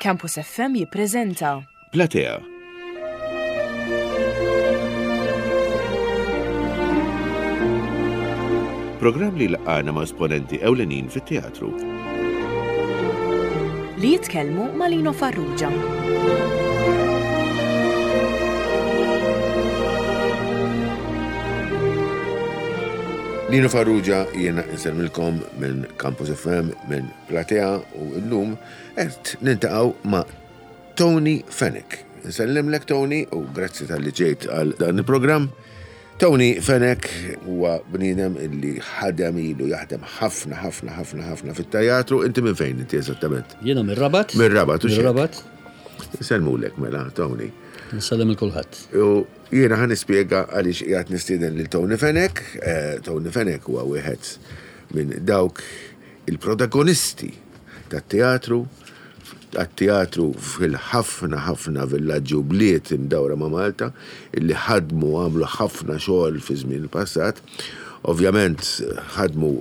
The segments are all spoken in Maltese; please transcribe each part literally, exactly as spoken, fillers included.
Campus F M jippreżenta Platea. Programm li laqana ma' esponenti ewlenin fit-teatru. Li jitkellmu ma' Lino Farrugia. Lino Farrugia, jiena insellmilkom minn Campus F M, minn Platea, u llum qed niltaqgħu ma' Tony Fenech. Nsellimlek, Tony, u grazzi talli ġejt għal dan il-programm. Tony Fenech huwa bniedem illi ħadem, ilu jaħdem ħafna, ħafna, ħafna, ħafna fit-teatru. Inti minn fejn inti eżattament? Jiena mir-Rabat. Mir-Rabat, u xek? Mir-Rabat. Nsellmulek mela, Tony. Nsellem lil kulħadd. U jiena ħa nispjega għaliex qiegħed nistieden lil Tony Fenech. Eh, Tony Fenech huwa wieħed minn dawk il-protagonisti tat-teatru, tat-teatru fil-ħafna ħafna villaġġi u bliet imdawra ma' Malta, illi ħadmu, għamlu ħafna xogħol fi żmien il-passat. Ovvjament ħadmu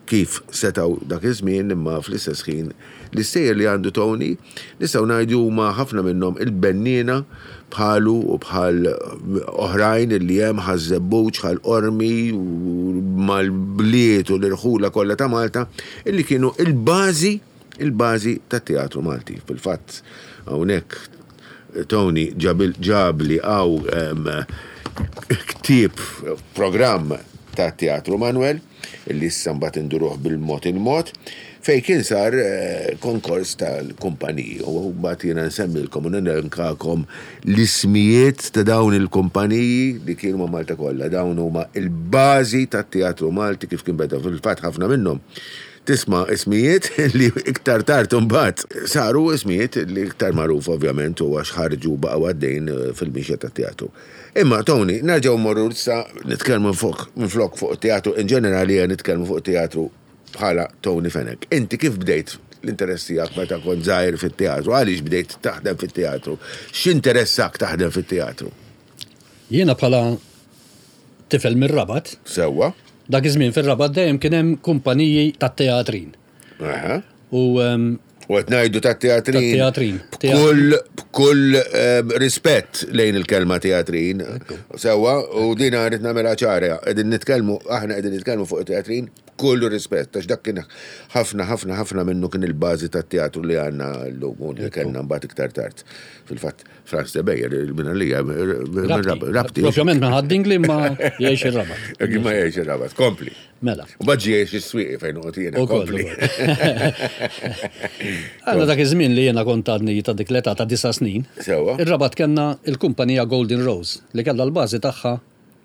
kif setaw dak iż-żmien, imma fl-istess ħin l-istejjer li għandu Tony nistgħu ngħidu huma ħafna minnhom il-benniena, bħalu u bħal oħrajn illi hemm Ħaż-Żebbuġ, Ħal Qormi u mal-bliet u l-irħula kollha ta' Malta, illi kienu il-bażi il-bażi tat-teatru Malti. Fil-fatt hawnhekk Tony ġabli hawn ktieb, programm ta' Teatru Manuel, illi issa mbagħad induruh bil-mod il-mod, fej kien sar eh, konkors tal-kumpaniji. U mbagħad jiena nsemmilkom u nelenkakom l-ismijiet ta' dawn il-kumpaniji li kienu ma' Malta kollha. Dawn huma il-bażi tat-teatru Malti kif kien beda. Fil-fatt ħafna minnhom tisma' ismijiet li iktar tard imbagħad saru ismijiet li iktar magħruf, ovvjament, u għax ħarġu, baqgħu għaddejn fil-mixja tat-teatru. Imma Tony, nerġgħu mmorru issa nitkellmu fuq minflok fuq teatru in ġenerali, nitkellmu fuq teatru bħala Tony Fenech. Inti kif bdejt l-interess tiegħek meta kont żgħir fit-teatru? Għaliex bdejt taħdem fit-teatru? X'interessak taħdem fit-teatru? Jiena bħala tifel mir-Rabat. Sewwa. Dak iż-żmien fir-Rabat dejjem kien hemm kumpaniji tat-teatrin. Aha. U um, U qed ngħidu tat-teatrin. Tat-teatrin. B'kull b'kull em, rispett lejn il-kelma teatrin. Sewwa, u dina rrid nagħmilha ċara. Qegħdin nitkellmu, aħna qegħdin nitkellmu fuq teatrin b'kull rispett, għax dak kien ħafna, ħafna, ħafna minnu kien il-bażi tat-teatru li għandna llum u li kellna mbagħad iktar tard. Fil-fatt Frans de Beyer, minn għalija, Rabti. Rabti. Propjament minn Ħad-Dingli, ma jgħix ir-Rabat. Ma jgħix ir-Rabat, kompli. Mela. U mbagħad jgħix is-Swieqi fejn noqgħod jiena, U koll, kompli. Għanna dak iż-żmien li jiena kont għadni ta' dik l-età ta' disa' snin. Sewwa. Ir-Rabat kellna il-kumpanija Golden Rose li kellha l-bażi tagħha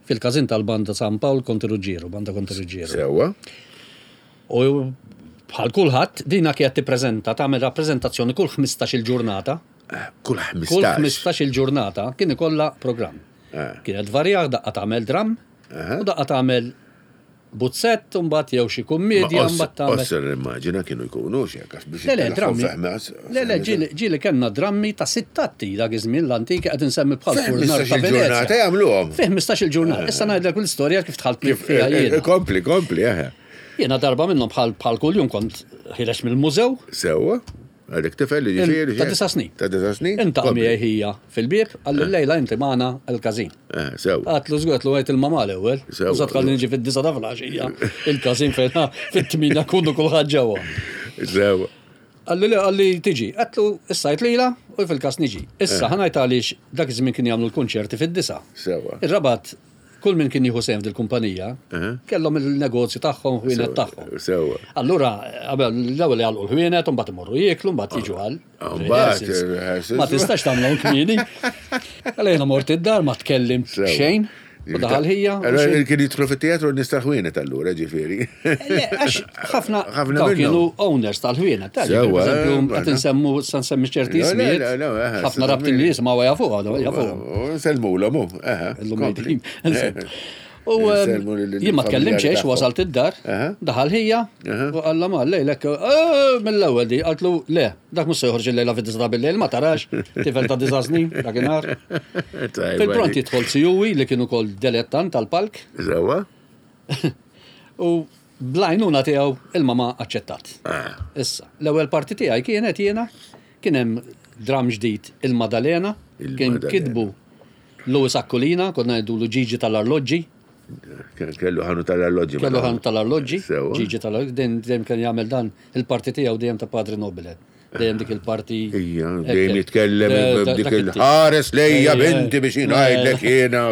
fil-każin tal-Banda San Pawl Konti Ruġġieru, Banda Konti Ruġġieru. Sewwa. U bħal kulħadd dina kienet tippreżenta, tagħmel rappreżentazzjoni kull ħmistax-il ġurnata. Kull Kull ħmistax. ħmistax-il ġurnata kien ikollha programm. Eh. Kienet varja, daqqa tagħmel dram, Aha. u daqqa tagħmel buzzett, u mbagħad jew xi kummedja, mbagħad tagħmel. Osser immaġina kienu jkunu xi biex Le, le, drammi. Fehmas. Le, le, ġieli ġieli kellna drammi ta' sitt atti dak iż-żmien l-antiki, qed insemmi bħal Furnar ta' ħmistax il-ġurnata Venezja. jagħmluhom. Fi ħmistax-il ġurnata. Issa ngħidlek l-istorja kif dħalt Kif fiha eh, eh, jiena. Kompli, kompli, eħe. Jiena darba minnhom bħal bħal kuljum kont ħiereġ mill-mużew. Sewwa. Għadek tifel li ġifieri. Ta' disa' snin. Ta' disa' snin? Inta Kompli. miegħi ħija fil-bieb, qalli, "Lejla inti magħna l-każin." Eh, Sewwa. Għedtlu żgur, għedtlu għid il-mama l-ewwel. Sewwa. U sa tħalli niġi fid-disgħa ta' filgħaxija il-każin fejn fit-tmienja kunu kulħadd ġewwa. Sewwa. Qalli le, qalli tiġi. Għedtlu issa għid lejla u fil-kas niġi. Issa ħa ngħid għaliex dak iż-żmien kien jagħmlu l-kunċerti fid-disgħa. Sewwa. Ir-Rabat kull min kien jieħu sehem fil-kumpanija Aha. kellhom il-negozju tagħhom, ħwienet tagħhom. Sewwa. Allura, qabel l-ewwel jagħlqu l-ħwienet, u mbagħad imorru jieklu, mbagħad jiġu għal Mbagħad rehearsals. il-rehearsals. Ma tistax tagħmlhom kmieni. Għalhekk jiena mort id-dar, ma tkellimt Sewwa. xejn, u daħal ħija. u Allora xejn. kien jidħlu fit-teatru nies tal-ħwienet allura, ġifieri. Le, għax ħafna Ħafna dawn minnhom. kienu owners tal-ħwienet. ta' Sewwa, Per eżempju, eh, qed insemmu sa nsemmi ċerti Le, le, ismijiet. le, le, eh, Ħafna rabtin li jisimgħu jafuha, jafuhom. Sellmulhom hu. Eħe. Illum kompli. mejtin. U ehm, Insellmu lil- jien ma tkellimx lill-familjari xejn, tagħhom. wasalt id-dar, Aha. daħal ħija, Aha. u qalla ma lejlek, "Eh, mill-ewwel di, qaltlu le, dak mhux se joħroġ il-lejla fid-disgħa bil-lejl, ma tarax, tifel ta' disa' snin, dakinhar. Tajba Fil-pront dik. jidħol sijuwi li kienu kol dilettant tal-palk Sewwa. u bl-għajnuna tiegħu il-mama aċċettat. Ah. Issa, l-ewwel parti tiegħi kienet jiena Kien hemm dram ġdid il-Madalena, kien Il-Madalena. kitbu Louis Aquilina, konna ngħidulu Ġiġi tal-arloġġi, Kellu ħanu tal-arloġġi. kellu ħan tal-arloġġi, Sewa. Ġiġi tal-arloġġi, dejjem dejjem kien jagħmel dan il-parti tiegħu dejjem ta' Padre Nobile. Dejjem dik il-parti. Ija, Hekk, dejjem hekk. jitkellem Eh, da- dik dak it-tip. il-ħares lejja Ejja, binti biex jingħidlek eh. jiena.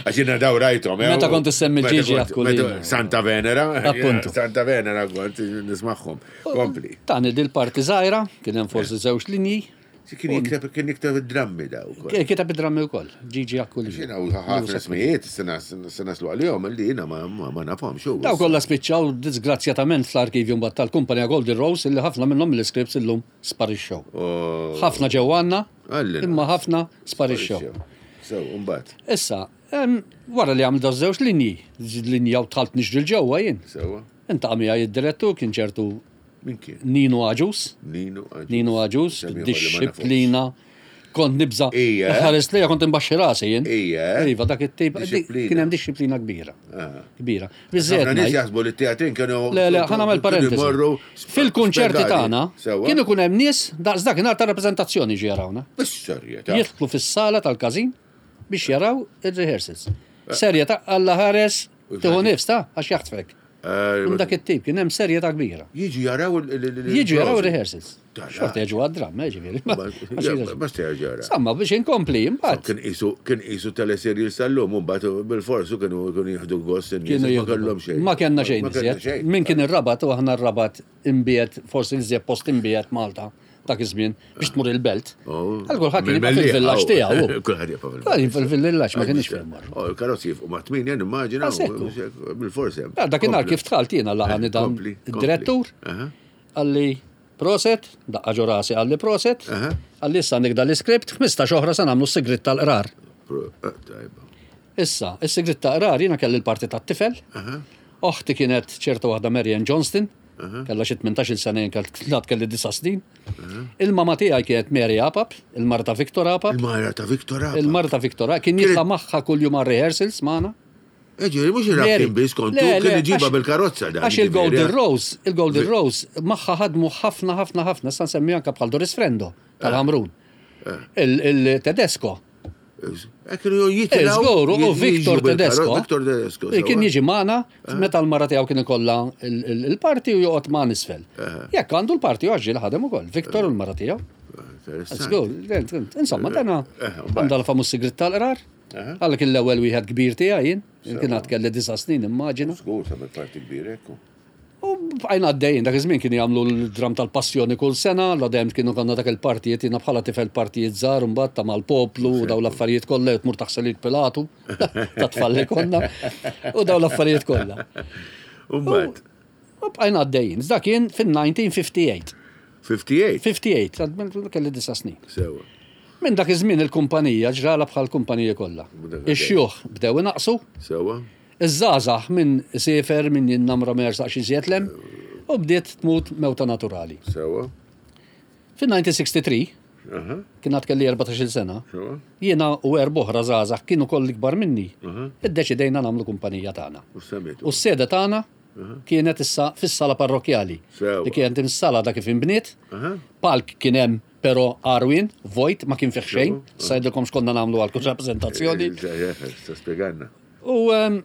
Għax jiena daw rajthom. eh, Meta kont issemmi Meta Ġiġi kont- Aquilina. meta- Santa Venera. Appuntu. Santa Venera kont nismagħhom. Kompli. Tani dil-parti żgħira, kien hemm forsi żewġ linji, Kien jikteb kien jikteb id-drammi daw. ukoll. kiteb id-drammi wkoll, Ġiġi Aquilina. Xina u ħafna smijiet, sena naslu għal-jom, li jina ma ma nafhom xu. Daw kollha spiċċaw disgrazzjatament fl-arkivju mbagħad tal-kumpanija Golden Rose illi ħafna minnhom l-iskrips illum sparixxew. Ħafna ġew għandna, Għallin. imma ħafna sparixxew. So, mbagħad. Issa, em, wara li għamil żewġ linji, linja u dħalt niġri l-ġewwa jien. Sewa. Inta miegħi id-direttur kien ċertu Min kien? Nino Aġus, Nino Aġus. Nino Aġus, Semmi ieħor li ma nafux. disċiplina. Kont nibża. Ija. Ħares lejja kont imbaxxi rasi jien. Ija. Iva, dak it-tip. Disċiplina. Kien hemm disċiplina kbira. Ah. Kbira. Ħafna Biżżejjed nies ngħid. jaħsbu li t-teatrin kienu. Le, le, ħa nagħmel kienu parentesi. jmorru Fil-kunċerti spjegati. tagħna Sewa. kien ikun hemm nies daqs dakinhar ta' rappreżentazzjoni ġi jarawna. Bis-serjetà. Jidħlu fis-sala tal-każin biex jaraw ir-rehearsals. Serjetà Alla ħares tieħu nifs ta' għax jaħtfek. Eh, Minn dak it-tip kien hemm serjetà kbira. Jiġu jaraw il- il- il- Jiġu jaraw il- ir-rehearsals. Tara. Xorta jiġu għad-dram, eh, ġifieri. Ma sejjer ġara. Samma biex inkompli, imbagħad. Kien isu kien isu teleserjal sal-lum, u mbagħad bil-forsu kienu kienu jieħdu gost in-nies, Kienu ma kellhom xejn. Ma kellna xejn Ma kellna iżjed. xejn. Min kien ir-Rabat u aħna r-Rabat imbiet, forsi iżjed post imbiet Malta dak iż-żmien biex tmur il-belt. Oh. Għal kulħadd kien jibqa' Mill-Mellieħa, fil-villaġġ oh. tiegħu. Kulħadd jibqa' fil-villaġġ. Kulħadd fil-villaġġ ma kienx fil-marru. Oh, il-karozzi jifqu ma' tminja nimmaġina. Ah, sekku. Bil-forsi. hemm. Ah, Dakinhar Kompli. kif dħalt jiena laqani dan Kompli, kompli. id-direttur Aha. għalli proset, daqqa ġo rasi għalli proset, Aha. għalli issa nikda l-iskript, ħmistax oħra se nagħmlu s-sigrit tal-qrar. Pro- eh, Tajba. Issa, is-sigrit ta' qrar jiena kelli l-parti tat-tifel. Oħti kienet ċerta waħda Marian Johnston, kellha xi tmintax-il sena jien kelli kelli disa' snin. Il-mama tiegħi kienet Mary Apap, il-mara ta' Victor Apap. Il-mara ta' Victor Apap. Il-mara ta' Victor Apap kien jitla' magħha kuljum għal rehearsals magħna. Eġi, mux il-rabtin bis kontu, Le, le, kien iġiba għax- bil-karozza dan. Għax il-Golden ġifieri, eh? Rose, il-Golden Vi- Rose, magħha ħadmu ħafna, ħafna, ħafna, sa nsemmi anka bħal Doris Frendo tal-Ħamrun. Eh. Il-Tedesco. Eh, kienu jitilgħu, Żgur, u jiġu Victor bil-karozza, Tedesco. Victor Tedesco. Kien sewa. jiġi magħna meta l-mara tiegħu kien ikollha il- il- il-parti u joqgħod ma' nisfel. Jekk għandu l-parti u għax ħadem ukoll. Victor u l-mara tiegħu. Interessanti. Żgur, insomma, dana Eh, mbagħad. għandha l-famuż sigrit tal-qrar. Għallek l-ewwel wieħed kbir tiegħi jien, kien għad kelli disa' snin immaġina. Żgur, ta' parti kbir, ekku. U bqajna għaddejjin, dak iż-żmien kienu jagħmlu l-dram tal-passjoni kull sena, la dejjem kienu konna dak il-partijiet, jiena bħala tifel partijiet żgħar mbagħad ta' mal-poplu u daw l-affarijiet kollha u tmur taħsel il-Pilatu ta' tfal li konna u daw l-affarijiet kollha. U mbagħad, U bqajna għaddejjin, dak kien fin-elf disa' mija u tmienja u ħamsin. ħamsa u ħamsin, ħamsa u ħamsin, kelli disa' snin. sewa. Minn dak iż-żmien il-kumpanija ġrala bħal kumpanija kollha. Dak Ix-xjuħ bdew inaqsu, Sewa. iż-żgħażagħ minn sefer minn jinnamra ma jersaqx iżjed lem u bdiet tmut mewta naturali. Sewa. Fin-elf disa' mija u tlieta u sittin, Aha, kien għad kelli erbatax-il sena, sewa. jiena u erba' oħra żgħażagħ kienu koll ikbar minni. Iddeċidejna nagħmlu kumpanija tagħna. U semmitu. U s-sede tagħna kienet issa fis-sala parrokjali. Sewa. Li kienet is-sala da kif inbniet. Aha. Palk kien hemm però għarwien, vojt, ma kien fih xejn. Sajdilkom x'konna nagħmlu għal kull rappreżentazzjoni. Sta spieganna. U ehm,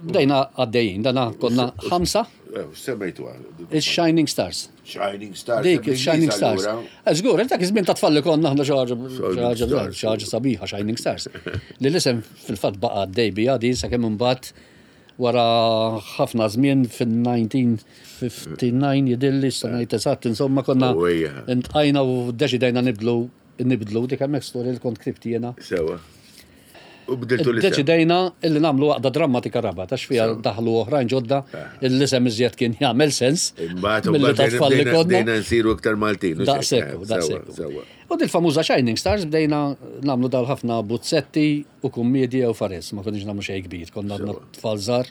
bdejna għaddejjin, dana konna ħamsa, Eh, Semmejtu għal. il-Shining Stars. Shining Stars. Dik, il-Shining Stars. Eh, Żgur, dak iż-żmien ta' tfal li konna aħna xi ħaġa xi ħaġa Stars. xi ħaġa sabiħa Shining Stars. Li l-isem fil-fatt baqa' għaddej bija din sakemm imbagħad wara ħafna żmien fin-elf disa' mija u ħamsa u ħamsin jidilli sa ngħid eżatt, insomma konna U ejja. intqajna u ddeċidejna nibdlu nibdlu dik hemmhekk storja li kont ktibt jiena. Sewa. U bdiltu l-isem. Deċidejna illi nagħmlu għaqda drammatika Rabat, għax fiha daħlu oħrajn ġodda, l-isem iżjed kien jagħmel sens. Imbagħad milli ta' tfal li konna. bdejna nsiru iktar Maltin. u Daqsekku, xejn. daqsekku. Sewa, sewa. U dil-famuża Shining Stars bdejna nagħmlu dal ħafna buzzetti u kummedji u fares, ma konniex nagħmlu xejn kbir, konna għadna tfal żgħar.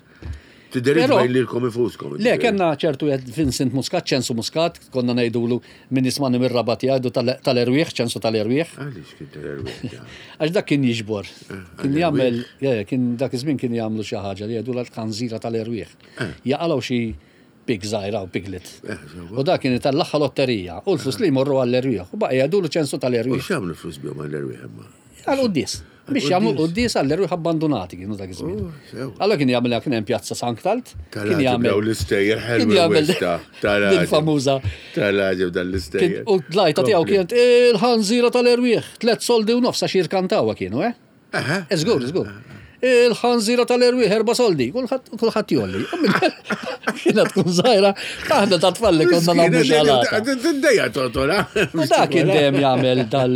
Tidderit Però- bejn lilkom infuskom. Le, kellna ċertu jed Vincent Muscat, ċensu Muscat, konna ngħidulu min jismani mir-Rabat jgħidu tal- tal-erwieħ, ċensu tal-erwieħ. Għaliex kien tal-erwieħ. da? Għax dak kien jiġbor. Kien għal jagħmel, ja, ja, kien dak iż-żmien kien jagħmlu xi ħaġa li jgħidu l-kanżira tal-erwieħ. Jaqalgħu xi pig żgħira u piglet. U da kien itellagħha lotterija u l-flus li jmorru għall-erwieħ. U baqa' jgħidulu ċensu U tal-erwieħ. x'jagħmlu flus bihom għall-erwieħ imma? Għal-quddis. Biex jagħmlu quddis għall-erwieħ abbandonati kienu dak iż-żmien. Oh, sewa. Allora kien jagħmel kien hemm pjazza Sanktalt, kien Tal-għaġeb jagħmel daw l-istejjer kien ħelwi jagħmel wista. din Tal-għaġeb. famuża. Tal-għaġeb dan Kien- l-istejjer. U l-lajta tiegħu Kompli. kienet il-ħanżira tal-erwieħ, tliet soldi u nofs għax jirkantawha kienu, eh? Aha. Żgur, żgur. Il-ħanżira tal-erwieħ erba' soldi, kulħadd kulħadd jolli. U minn- Kienet tkun żgħira, aħna ta' tfal li konna nagħmlu xalata. Dejja totola. U da kien dejjem jagħmel dal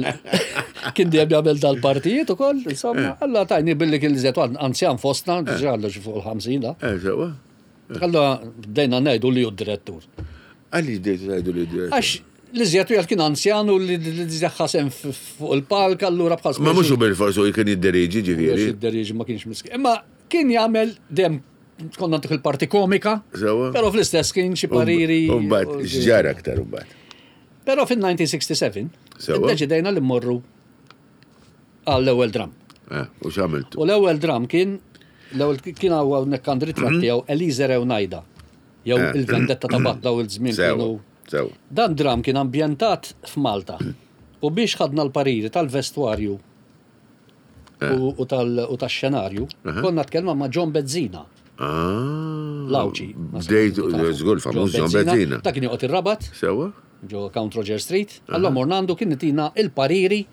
kien dejjem jagħmel dal-partijiet ukoll, insomma, alla tajni billi kien li anzjan fostna, diġà għallu xi fuq il-ħamsin da. Eh, sewa. Allora bdejna ngħidu li hu d-direttur. Għalli bdejtu tgħidu li direttur. Għax li żjed wieħed kien anzjan u li li żjed ħasem fuq il-palk allura bħal Ma mhux hu bil-forsu kien jidderiġi ġifieri. id-deriġi ma kienx miskin. Imma kien jagħmel dem konna ntuh il-parti komika, Sewa. però fl-istess kien xi pariri. U mbagħad x'ġara aktar u mbagħad. Però fin-elf disa' mija u sitta u sebgħin Sewa. iddeċidejna li mmorru għall-ewwel dram. Eh, U x'għamiltu? U l-ewwel dram kien l-ewwel kien hawnhekk għand ritratt tiegħu Elise Rewnajda jew Eh. il-vendetta ta' Batla u l-żmien Sewa. kienu. Sewa. Dan dram kien ambjentat f'Malta. U biex ħadna l-pariri tal-vestwarju u, u tal- u tax-xenarju, konna tkellma ma' John Bezzina, Ah. l-Awċi. Bdejtu, żgur famuż John Bezzina. Dak kien joqgħod ir-Rabat, Sewa? ġo Count Roger Street, allora morna għandu kien itina il-pariri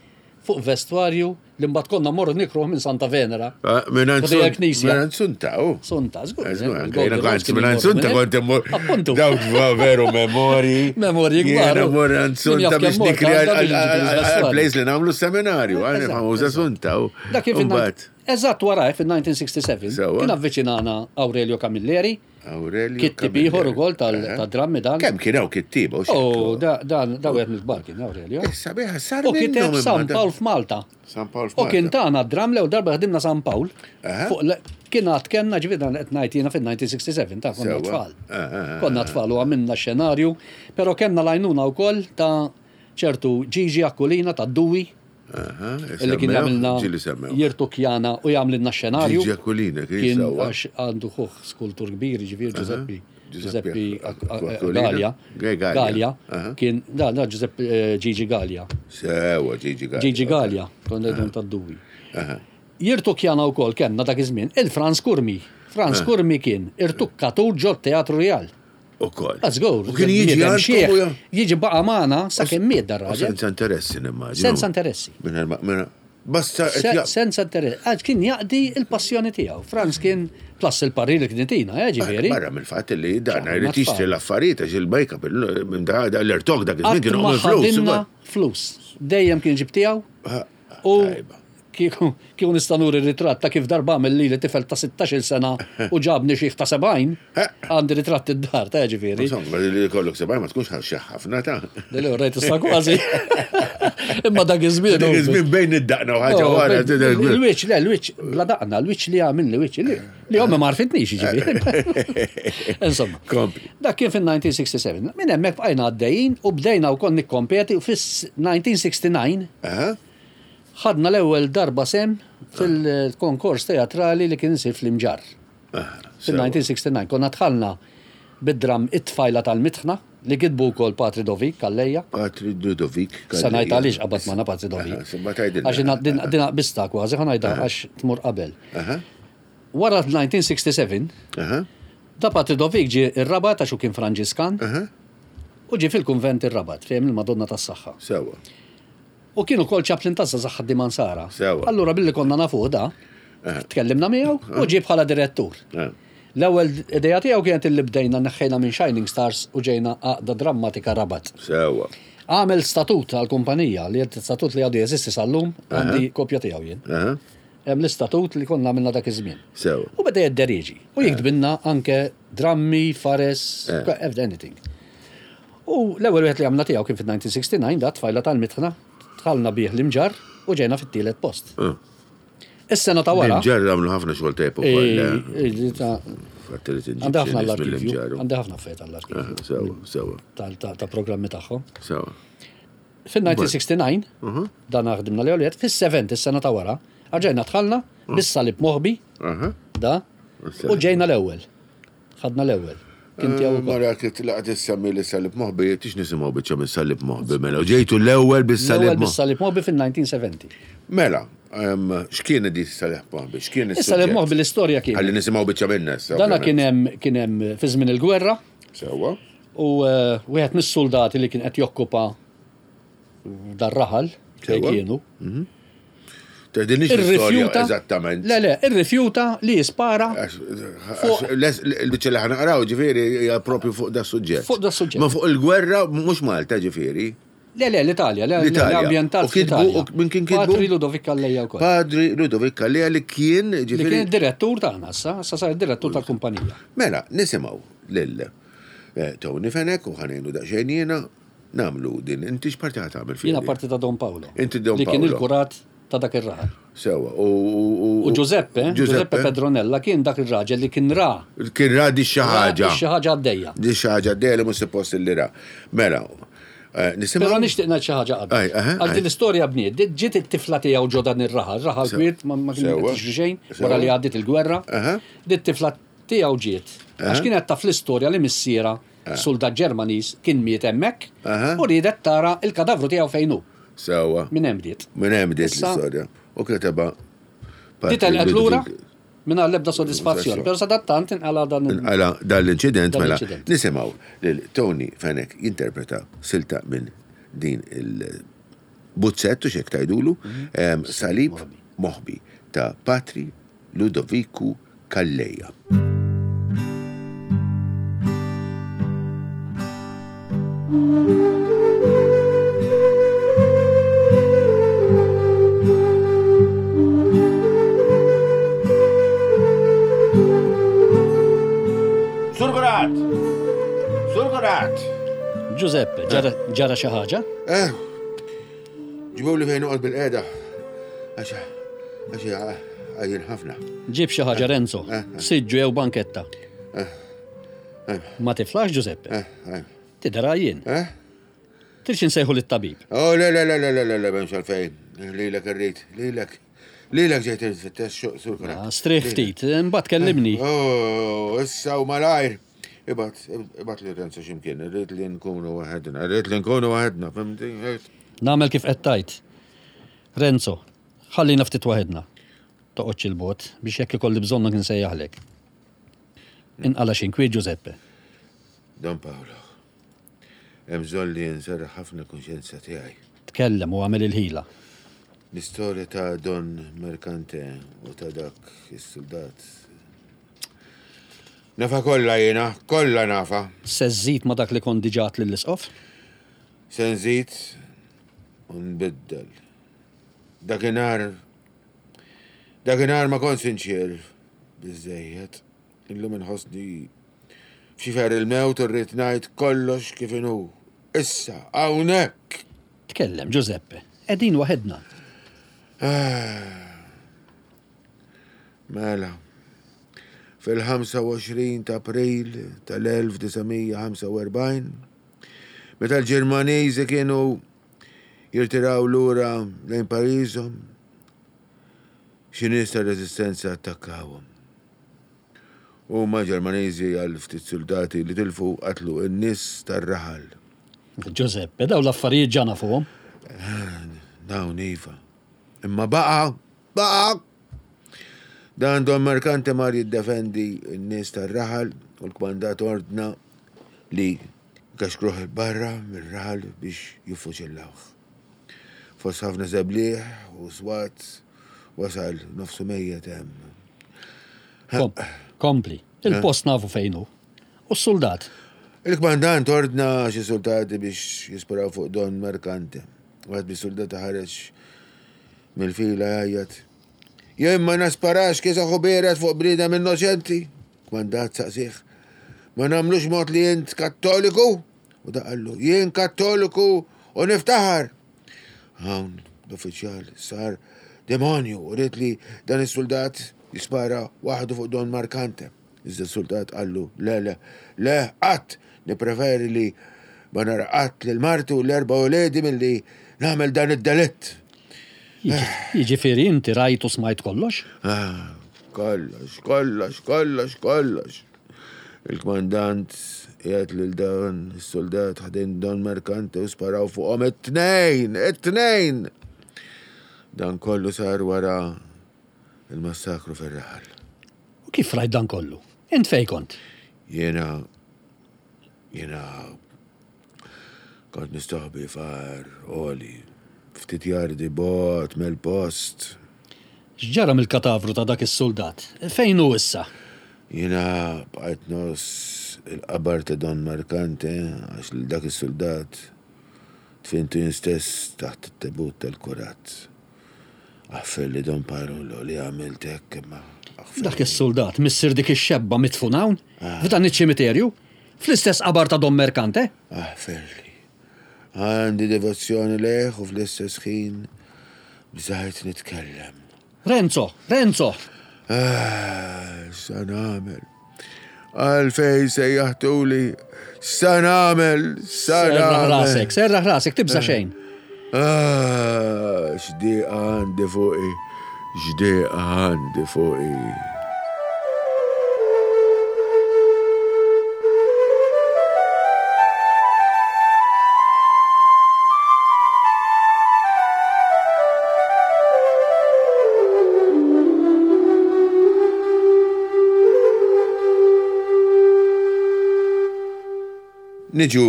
fuq vestwarju li mbagħad konna morru nikruh minn Santa Venera. Ah, Minn Ħdejja l-knisja. Minn Sunta, u. Sunta, żgur. Eh, eh, Żgur, anke Golden jiena Rose kont kien minn imorru Sunta minn kont hekk. immur. Appuntu. Dawk va- veru memori. Memorji kbar, Jiena u. mor għand Min Sunta jaf biex kemm mort nikri għandha biex ġibu l-vestwarju. għal-place li nagħmlu seminarju. Għani Eżatt, famuża eżatt. Sunta, u. Dak kien fin Mbagħad, Eżatt wara fin-elf disa' mija u sitta u sebgħin Sewa. kien avviċinana Aurelio Camilleri, Aurelio kittib ieħor Camilleri. ukoll tal- Aha. tad-drammi dan. Kemm kien hawn kittieba u Oh, xeklu. da- dan da wieħed mill-kbar kien Aurelio. Issa biha sar U kiteb minnhom San imma dan. Pawl f'Malta. San Pawl U kien f'Malta. tagħna d-dram l darba ħdimna San Pawl. Aha. Fuq le- Kien għad kemna ġifieri dan qed ngħid jiena fin-elf disa' mija u sitta u sebgħin ta' konna Sewa. tfal. Ah, ah, ah, Konna tfal u għamilna xenarju, però kellna lajnuna wkoll ta' ċertu Gigi Akkulina ta' Dui Aha, illi kien semmew, jagħmilna ġieli semmew. jirtukjana u jagħmlilna xenarju. Gigi Aquilina, kien Kien sewwa. għax għandu ħuħ skultur kbir, ġifieri Giuseppe Giuseppe Giuseppe Aquilina. Gallia. Gallia. Gallia. Aha. Kien da da Giuseppe eh, Gigi Gallia. Sewa, Gigi Gallia. Gigi Gallia, konna ngħidu ta' Dui. Jirtukjana wkoll kellna dak iż-żmien il-Franz Kurmi. Franz Kurmi kien irtukkatur ġo Teatru Real. Ukoll. Let's go. U kien jiġi Bniedem għandkom xieħ, u ja- Jiġi baqa' magħna sakemm miet dar U raġel. Senza interessi nimmaġinu. Senza interessi. Minn ma- minn- Basta qed Se- ja- Senza interess. Għax kien jaqdi il-passjoni tiegħu. Franz kien plus il-parir li kien itina, eh, ġifieri. Barra mill-fatt li dan Ċar, jrid ma jixtri tfal. l-affarijiet għax il-make-up il- minn da da l-irtok dak iż-żmien Qatt kienu ma għamil flus. ħadinna flus. Dejjem kien ġib tiegħu. Ah, U tajba. kieku kieku nista' nuri ritratt ta' kif darba għamel lili tifel ta' sittax-il sena u ġabni xieħ ta' sebgħin, għandi ritratt id-dar ta' ġifieri. Insomma, li kollok sebgħin ma tkunx ħaxxa ħafna ta' Deli rajt issa kważi. Imma dak iż-żmien. Dak iż-żmien bejn id-daqna u ħaġa Oh, wara. tidher- Il-wiċ, le, il-wiċ, bla daqna, il-wiċ li għamil li wiċ, li li ommi ma għarfitnix, ġifieri. Insomma. Kompli. Dak kien fin-elf disa' mija u sitta u sebgħin. Minn hemmhekk bqajna għaddejjin u bdejna wkoll nikkompeti u fis-elf disa' mija u sitta u disgħin Aha. ħadna l-ewwel darba sem fil-konkors teatrali li kien isir fl-Imġarr. Aha, sewa. Fil-elf disa' mija u sitta u disgħin konna dħalna bid-dram it-tfajla tal-mitħna li kitbu wkoll Patri Dovik Kalleja. Patri Ludovic. Sa ngħid għaliex qabad magħna Patri Dovik. Aha, ma tgħidilna. Għax dina- din din qbista kważi ħa ngħidha għax tmur qabel. Aha, Wara elf disa' mija u sitta u sebgħin, aha, da Patri Dovik ġie ir-Rabat għax hu kien Franġiskan aha, u ġie fil-kunvent ir-Rabat fejn il-Madonna tas-Saħħa. sewa. U kienu kol chaplain ta' Zaħħa Dimansara. Sewa. Allura billi konna nafuh da, tkellimna miegħu u ġie bħala direttur. Ah. L-ewwel idea tiegħu kienet illi bdejna neħħejna minn Shining Stars u ġejna għaqda drammatika Rabat. Sewa. Għamel statut għal-kumpanija li qed statut li għadu jeżisti sal-lum għandi kopja tiegħu jien. Aha, Hemm l-istatut li konna għamilna dak iż-żmien. sewa. U beda jidderieġi. U jiktbinna anke drammi, fares, Eh. anything. U l-ewwel wieħed li għamilna tiegħu kien fin-elf disa' mija u sitta u disgħin da tfajla tal-mitħna, dħalna bih l-imġar u ġejna fit-tielet post. Ah. Is-sena ta' wara. L-imġarr għamlu ħafna xogħol tajb ukoll. Eh, eh, ta' Fatt li tinġib Għandi xi ħafna nies l-arkivju, mill-imġarr. għandi ħafna affarijiet għall-arkivju Aha, Sewa, sewa, tal- ta' ta' programmi tagħhom. sewa. Fin-elf disa' mija u sitta u disgħin, dan ħdimna li għoliet, fis-sebgħin is-sena ta' wara, rġajna dħalna bis-salib moħbi, Aha. da, u ġejna l-ewwel. Ħadna l-ewwel. kien tiegħu wkoll. Mara kif laqgħet issemmi li Salib Moħbi, tix nisimgħu biċċa minn Salib Moħbi, mela. U ġejtu l-ewwel bis-Salib L-ewwel Moħbi. bis-Salib Moħbi fil-elf disa' mija u sebgħin. Mela, em, x'kien di Salib Moħbi? X'kien Is-Salib Moħbi l-istorja kien. Ħalli nisimgħu biċċa minna issa. Dana ovvjament. kien hemm kien hemm fi żmien il-gwerra Sewwa. u eh, wieħed mis-soldati li kien qed jokkupa dar-raħal fejn Sewwa. kienu. Tgħidilniex l-istorja Irrifjuta. eżattament. Le, le, irrifjuta li jispara Għax- għax les- Il-biċċa li ħa naqraw ġifieri hija propju fuq da suġġett. Fuq da suġġett. Ma fuq il-gwerra mhux Malta ġifieri. Le, le, l-Italja, le, L-Italja. l-ambjentat U kitbu- fl-Italja. u min kien kitbu? Patri Ludovic Calleja wkoll. Padri Ludovic Calleja li kien Li kien ġifieri. direttur tagħna issa, issa sar direttur tal-kumpanija. Mela, nisimgħu lil eh, Tony Fenech u ħa ngħinu daqsxejn jiena nagħmlu din. Inti x'parti ħa tagħmel fiha? Jiena parti ta' Don Paolo. Inti Don Li kien Paolo. il-kurat ta' dak ir-raħal. Sewwa. U u- U Giuseppe, Giuseppe Pedronella kien dak ir-raġel li kien ra. Kien ra di xi ħaġa. Xi ħaġa għaddejja. Di xi ħaġa għaddejja li mhux suppost li ra. Mela, eh, nisimgħu. Però nixtieq ngħid xi ħaġa qabel. Aj, aha, Għal aj. din l-istorja bniet, di- ġiet it-tifla tiegħu ġo dan ir-raħal, raħal Sew- kwiet ma ma kien Sewwa. qed jiġri xejn Sewwa. wara li għaddiet il-gwerra. Aha. Di t-tifla tiegħu ġiet. Għax kienet taf l-istorja li missiera soldat Ġermaniż kien miet hemmhekk Aha. u riedet tara il-kadavru tiegħu fejn hu. Sewwa. Minn hemm bdiet. Minn hemm bdiet Issa- l-istorja. U kitebha. Di telqet lura minn l-ebda sodisfazzjon. Però sadattant inqala dan il- Inqala dan l-inċident Dan mela l-inċident. nisimgħu lil Tony Fenech jinterpreta silta minn din il-buzzettu xek tajdulu Mhm. em, Salib Moħbi ta' Patri Ludoviku Calleja. Surgurat! Surgurat! Giuseppe, ġara- ġara xi ħaġa? Eh, ġibu li fejn noqgħod bil-qeda. Għax għax għajjin ħafna. Ġib xi ħaġa Renzo, Eh, siġġu jew banketta. Ma tiflax Giuseppe, Eh, eh, tidher għajjien. eh? Tridx insejħu lit-tabib. Oh, le, le, le, le, le, le, le, m'hemmx għalfejn. Lilek irrid, lilek. Lilek ġejt irrid surkurat. Ah, Strieħ ftit, imbagħad kellimni. Oh, issa u malajr. Ibat, ibat li Renzo ximkien, irrid li nkunu waħedna, irrid li nkunu waħedna, fimti? Nagħmel kif qed tajt. Renzo, ħallina ftit waħedna. Toqgħodx il-bot biex jekk ikolli bżonnok insejjaħlek. Inqala xi nkwiet Giuseppe. Don Paolo, hemm bżonn li nserraħ ħafna kunxjenza tiegħi. Tkellem u għamel il-ħila. L-istorja ta' Don Mercante u ta' dak is-soldat. Nafa kollha jiena, kollha nafa. Se żżid ma dak li kont diġà għedt lill-isqof? Se nżid u nbiddel. Dakinhar dakinhar ma kont sinċier biżejjed. Illum inħossni f'xifer il-mewt u rrid ngħid kollox kif inhu. Issa, hawnhekk. Tkellem Giuseppe. Qegħdin waħedna. Mela, fil-ħamsa u għoxrin ta' April tal-elf disa' mija ħamsa u erbgħin, meta l-Ġermaniżi kienu jirtiraw lura lejn pajjiżhom, xi nies tar-reżistenza attakkawhom. Huma Ġermaniżi għal ftit soldati li tilfu qatlu n-nies tar-raħal. Giuseppe, daw l-affarijiet ġa nafuhom. Dawn iva. Imma baqa, baqa! Dan Don Mercante mar jiddefendi n-nies tar-raħal u l-kmandat ordna li kaxkruħ il-barra mir-raħal biex jiffuċillawh. Fost ħafna żebliħ u swat wasal nofsu mejjet hemm. Kom, kompli. Il-post nafu fejn hu. U s-soldat. Il-kmandant ordna xi soldati biex jisparaw fuq Don Mercante. Wieħed mis-soldati ħareġ mill-fila jgħajjat. Jien ma nasparax kiesaħ u biered fuq bniedem innoċenti. Kmandat saqsih. Ma nagħmlux mod li jint kattoliku? U da qallu, jien kattoliku u niftaħar. Hawn l-uffiċjal sar demonju u ried li dan is-soldat jispara waħdu fuq Don Markante. Iżda s-soldat qallu, le, le, le, qatt, nipreferi li ma nara qatt lil marti u l-erba' uledi milli nagħmel dan id-delitt. Jiġifieri inti rajt u smajt kollox? Ah, kollox, kollox, kollox, kollox. Il-kmandant jgħid lil dan is-soldat ħdejn Don Mercante u sparaw fuqhom it-tnejn, it-tnejn! Dan kollu sar wara il-massakru fir-raħal. U kif rajt dan kollu? Int fejn kont? Jiena jiena kont nistaħbi far oli, ftit jardi bot mill-post. X'ġara mill-katavru ta' dak is-soldat? Fejn hu issa? Jiena bqajt nos il-qabar ta' Don Mercante għax lil dak is-soldat tfintu jien stess taħt it-tebut tal-kurat. Aħfer li Don Parolo li għamilt hekk imma aħfer. Dak is-soldat missier dik ix-xebba mitfun hawn f'dan iċ-ċimiterju fl-istess qabar ta' Don Mercante? Aħfer li. Għandi devozzjoni lejh u fl-istess ħin bżajt nitkellem. Renzo, Renzo! Ah, sa nagħmel? Għalfejn sejjaħtuli, sa nagħmel, sa Serraħ nagħmel. rasek, serraħ rasek, tibża xejn. Ah, x'dieqa għandi fuqi, x'dieqa għandi fuqi. Niġu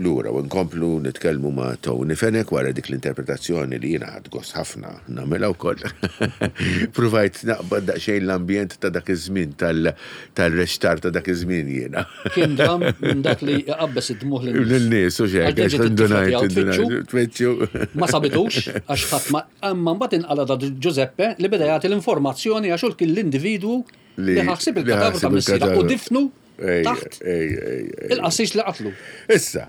lura u nkomplu nitkellmu ma' Tony Fenech wara dik l-interpretazzjoni li jiena ħadt gost ħafna nagħmilha wkoll. Provajt naqbad daqsxejn l-ambjent ta' dak iż-żmien tal-rextar ta' dak iż-żmien jiena. Kien dram minn dak li jqabbes id-dmuħ lin-nies. Lin-nies u xejn, Għal għax ġiet indunajt, it-tifla tiegħu indunajt, tfittxu. Ma sabitux, għax ħadd ma imma mbagħad inqala da Giuseppe li beda jagħti l-informazzjoni għax hu kien l-individwu li ħassib li il-katavru ta' ħasib missierha u il-katavru. difnu Ej, taħt ej, ej, ej. il-qassis li qatlu. Issa,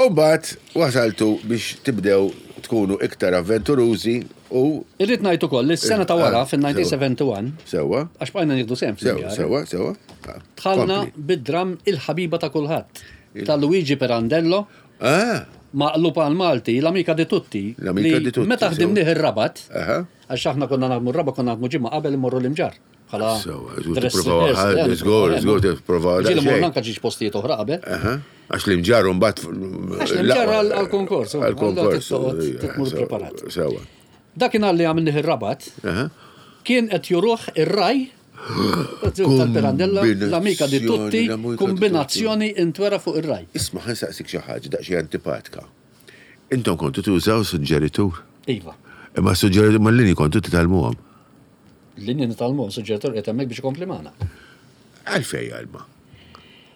u mbagħad wasaltu biex tibdew tkunu iktar avventurużi u Irrid ngħid ukoll li s-sena ta' wara Ah, fin-nineteen seventy-one sewwa, għax bqajna nieħdu sehem sewwa, fl-imġarr. sewwa, sewwa. Ah, Dħalna kompli. bid-dram Il-ħabiba ta' kulħadd ta' Luigi Pirandello Ah, maqlub għal Malti, l-amika di tutti. L-Amica li di tutti, Meta sewa. ħdimnieh ir-Rabat, aha. għax aħna konna naħdmu r-Rabat konna naħdmu ġimgħa qabel immorru l-imġarr. Bħala Sewa, żgur dress tipprovaw rehearsal, ħadd, eh, żgur, żgur tipprovaw Ġieli daqsxejn. morna anke ġiex postijiet oħra qabel. Aha. Għax l-imġarr mbagħad Għax l-imġarr għal- għal-konkors, Għal-konkors. allora tittoqgħod titmur preparat. Sewa. Dakinhar li għamilnieh ir-Rabat, Aha. kien qed juruh ir-raj tal-Pirandello, l-amika di tutti, L-Amica di kombinazzjoni intwera fuq ir-raj. Isma' ħa nsaqsik xi ħaġa daqsxejn antipatika. Intom kontu tużaw suġġeritur. Iva. Imma suġġeritur mal-linji kontu titgħallmuhom. Linji nitgħallmuhom, suġġeritur qed hemmhekk biex ikompli magħna. Għalfej għalma.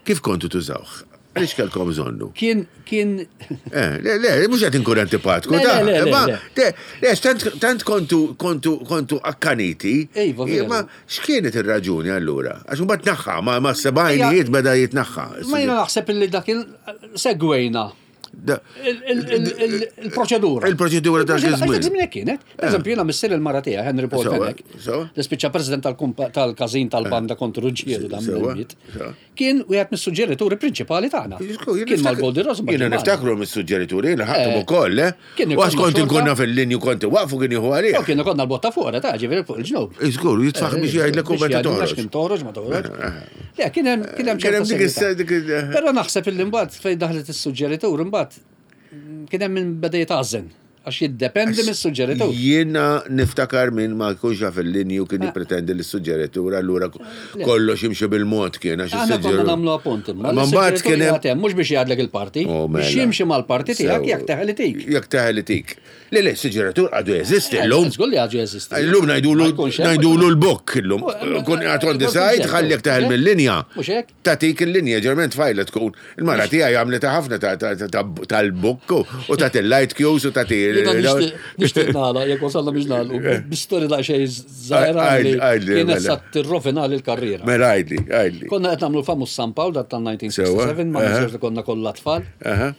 Kif kontu tużawh? Għaliex kellkom bżonnu? Kien, kien, Eh, le, le, mhux qed inkun antipatku, Le, ta' le, le, le, ma, le. le, le, tant, tant kontu, kontu, kontu akkaniti. Iva, veru. Ma x'kienet ir-raġuni allura? Għax mbagħad tnaħħa, ma, ma sebgħinijiet beda jitnaħħa. ma jiena naħseb illi dak il-segwejna Da- il- il- il- il- il-proċedura. Il-proċedura ta' Il-proċedura, żmien. għax dak żmien kienet. Per eżempju, jiena missier il-mara tiegħi, Henry Paul Sewa, Fenech, sewa. li spiċċa president tal-kumpa- tal-każin tal-banda kontra Ruġġieru dan Sewa, mill-miet. sewa. Kien wieħed mis-suġġerituri prinċipali tagħna. Kien mal-Goldi Rose. ma Jiena kien magħna. niftakru mis-suġġerituri, jiena ħadthom Eh, ukoll, eh? kien U għax ikollna kont xorta. inkunna fil-linju kont waqfu kien jieħu għalih. U kien ikollna l-botta fuq, ta' ġifieri fuq il-ġnub. Iżgur, jitfaħ biex jgħidlek u Biex meta jgħidlek toħroġ. għax kien toħroġ, ma toħroġ. Le, kien hemm kien hemm Kien hemm ċerta dik is- serjetà. dik il- Però naħseb illi mbagħad fejn daħlet is-suġġeritur imbagħad kien hemm min beda jitgħażen għax jiddependi mis-suġġeritur. Jiena niftakar minn ma jkunx jaf il-linju kien jippretendi l suġġeritur allura kollox jimxi bil-mod kien għax Aħna konna is-suġġeritur. nagħmlu appunt imma. Ma mbagħad kien hemm mhux biex jgħadlek il-parti, Oh, biex mela. jimxi mal-parti tiegħek Sew. jekk teħel itik. Jekk teħel itik. Le, le, suġġeritur għadu jeżisti llum. Żgur li għadu jeżisti. Illum ngħidulu Ma jkunx hemm, ngħidulu l-bokk illum. Oh, Kun qed on the ma jkunx side, hemm, ħalli jekk teħel mhux hekk? mill-linja. Mhux hekk? Tatik il-linja, ġerment tfajla tkun. Il-mara tiegħi għamlet ħafna ta- ta- ta- tal-bokk u ta' il-light cues u ta' Jiena nixtieq nixtieq nagħlaq, jekk wasalna biex nagħlqu, bi-storja daqsxejn żgħira li Għajd- għajdli, kienet mela. sa tirrovinali l-karriera. Mela għajdli, għajdli. Konna qed nagħmlu l-famuż San Pawl dat tal-nineteen sixty-seven, ma Sewa, ninsewx li konna kollha tfal. Aha.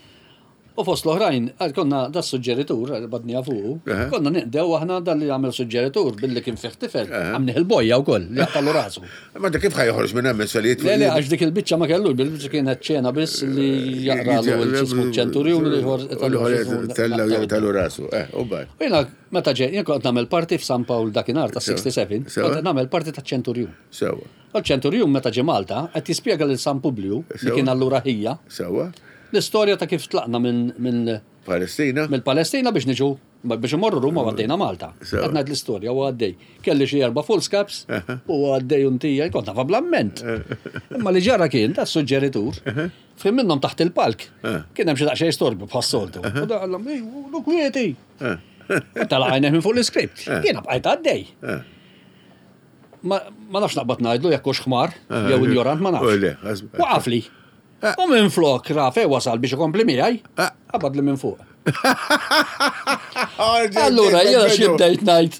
U fost l-oħrajn, għal konna da suġġeritur, badni fuqu, Aha. konna ninqdew aħna dan li għamel suġġeritur billi kien fih tifel, għamnih il-bojja u koll, li jaqtallu rasu. Ma da kif ħa joħroġ minn hemm solijiet? Le, le, għax dik il-biċċa ma kellu, bil-biċċa kienet ċena biss li jaqralu il-ċismu ċenturjun u l-ieħor Tella jaqtalu rasu. Eh, u baj. U jiena, meta ġej, jien kont nagħmel parti f'San Pawl dakinhar ta' sitta u sebgħin, Sewa. kont nagħmel parti ta' ċenturjun. Sewa. U l-ċenturjun meta ġie Malta qed jispjega lil San Publiju li Sewa. kien allura ħija Sewa. l-istorja ta' kif tlaqna minn minn Palestina. mill-Palestina biex niġu biex imorru Ruma u għaddejna Malta. Sewa. Qed ngħid l-istorja u għaddej. Kelli xi erba' foolscaps u għaddej untija, kont nafha bl-amment. Imma li ġara kien ta' suġġeritur, fim minnhom taħt il-palk. Kien hemm xi daqsxejn storbi bħas-soltu. U da qallhom, "Ej, lu kwieti." U tala għajneh minn fuq l-iskript. Jiena bqajt għaddej. Ma ma nafx naqbad ngħidlu jekk hux ħmar jew injorant, ma U nafx. le, għaz- Waqaf li. U minn flok rafe wasal biex ikompli miegħi, qabad li minn fuq. Allura, jiena xi bdejt ngħid.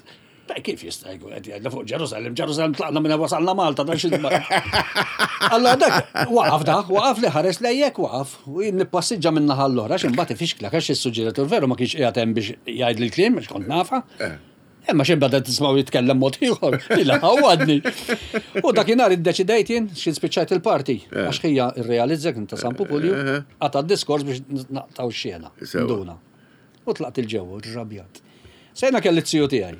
"Beh, kif jista' jkun qed jgħidla fuq Ġerusalem, Ġerusalem tlaqna minn wasalna Malta, dan xi." Allora dak waqaf da, waqaf li ħares lejjek waqaf u jien nippassiġġa minn naħa l-oħra għax imbagħad ifixklek għax is-suġġeritur veru ma kienx qiegħed hemm biex jgħid l-kliem għax kont nafa. Imma xi bada tismgħu jitkellem mod ieħor, ila ħawadni. U dakinhar iddeċidejt jien xi spiċċajt il-parti għax ħija irrealizza kien ta' San Pupulju qata' d-diskors biex naqtaw x-xena. Sewa. Nduna. U tlaqt il-ġewwa, rrabjat. Sejna kelli t-siju tiegħi.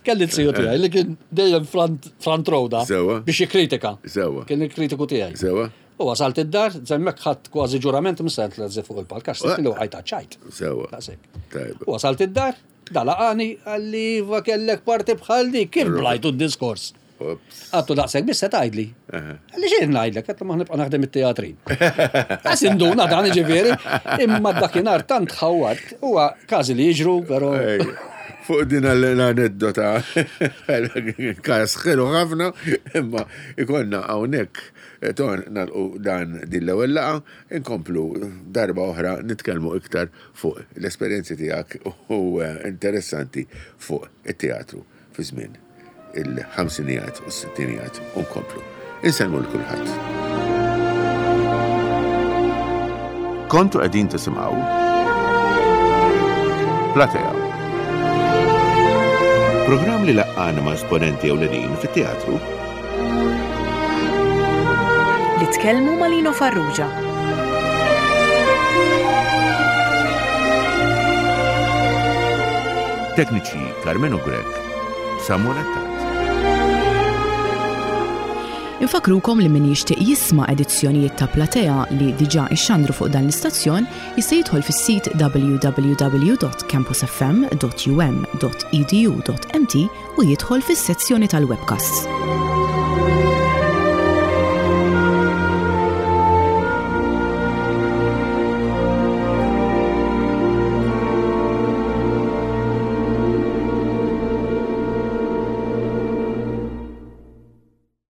Kelli t-siju tiegħi li kien dejjem front, front row da Sewa. biex jikkritika. Sewa. Kien il-kritiku tiegħi. Sewa. U wasalt id-dar, zemmek ħadd kważi ġurament msent l fuq il-palk, għax sitt li waqajt ċajt. Sewa. Daqshekk. Tajba. U wasalt id-dar, dalaqani, għalli va kellek parti bħal di, kif blajtu d-diskors? Ops. Għattu daqshekk biss se tgħidli. Għalli xejn ngħidlek, għattu ma nibqa' naħdem it-teatrin. Għas induna dan ġifieri, imma dakinhar tant ħawat, huwa każi li jiġru, però Ej, fuq din l-aneddota, kas ħelu ħafna, imma ikonna hawnhekk eh, ton nalqu dan din l-ewwel laqa, inkomplu darba oħra nitkellmu iktar fuq l-esperjenzi tiegħek u eh, interessanti fuq it-teatru fi żmien il-ħamsinijat u s-sittinijat u nkomplu. Insellmu l kulħadd. Kontu qegħdin tisimgħu Platea. Programm li laqqana ma' esponenti ewlenin fit-teatru. Li tkellmu ma' Lino Farrugia. Tekniċi Carmenu Grek, Samuel Attard. Infakrukom li min jixtieq jisma' edizzjonijiet ta' Platea li diġà ixxandru fuq dan l-istazzjon jista' jidħol fis-sit w w w dot campusfm dot u m dot e d u dot m t u jidħol fis-sezzjoni tal-webcasts.